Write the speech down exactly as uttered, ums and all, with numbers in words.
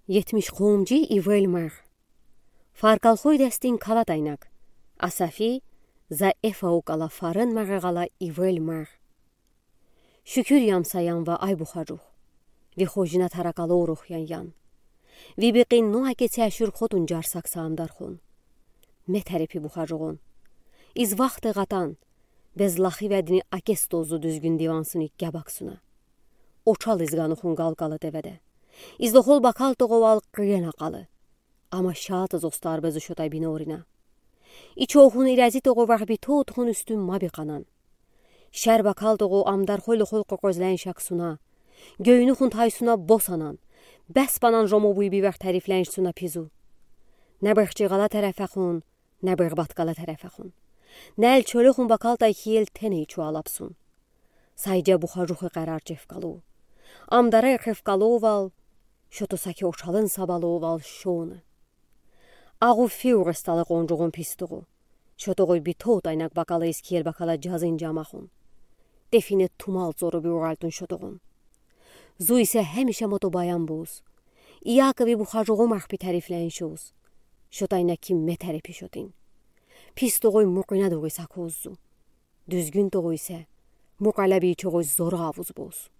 Етмиш хомджи ивел мар. Фаркалхой дестин калад айнак. Асафи, за эф аукала фарын мар гъала ивел мар. Шукур ям са янва, ай бухажух. Ви хожина таракалу урухъян ян. Ви бикъин нуа кеци ашур хотун джарсак са амдархун. Метерепи бухажугъун. Из вахте гъатан, без лахи ведни акес тозу дуьзгюн дивансуни гябаксуна. Очал из ганухун галкала деведе. Из лохол бакал тогъувал къиен акъалы. Ама шаатыз устар безу шотай бинорина. Ичохун ирези тогъувар битотхун уьстюн ма бикъанан. Шер бакал тогъу амдархой лохол къокъозлен шаксуна. Гёйнухун тайсуна босанан. Беспанан жомобуй бивер тарифленшсуна пизу. Не бехчи гъала терефехун, не бехбат гъала терефехун. Нел чолюхун бакалтай хиел теней чуалапсун. Сайджа бухажухи къарар чефкалу. Амдара эхефкалувал, шото саки очалын сабалувал шоны. Агъу фиуресталы къонжугъун пис тогъу. Шотогъуй битотайнак бакала из киел бакала джазин джамахун. Дефине тумал цору биуралтун шотогъун. Зуй исе хемиша мото баян буз. Иакови бухажугъу махпи тарифленшуз. Шотайна ким метерепи шотин. Пис тогъуй мукъуьна дугъи сакуззу. Дуьзгюн тогъуй исе, мукъалаби чогъуй зору авуз буз.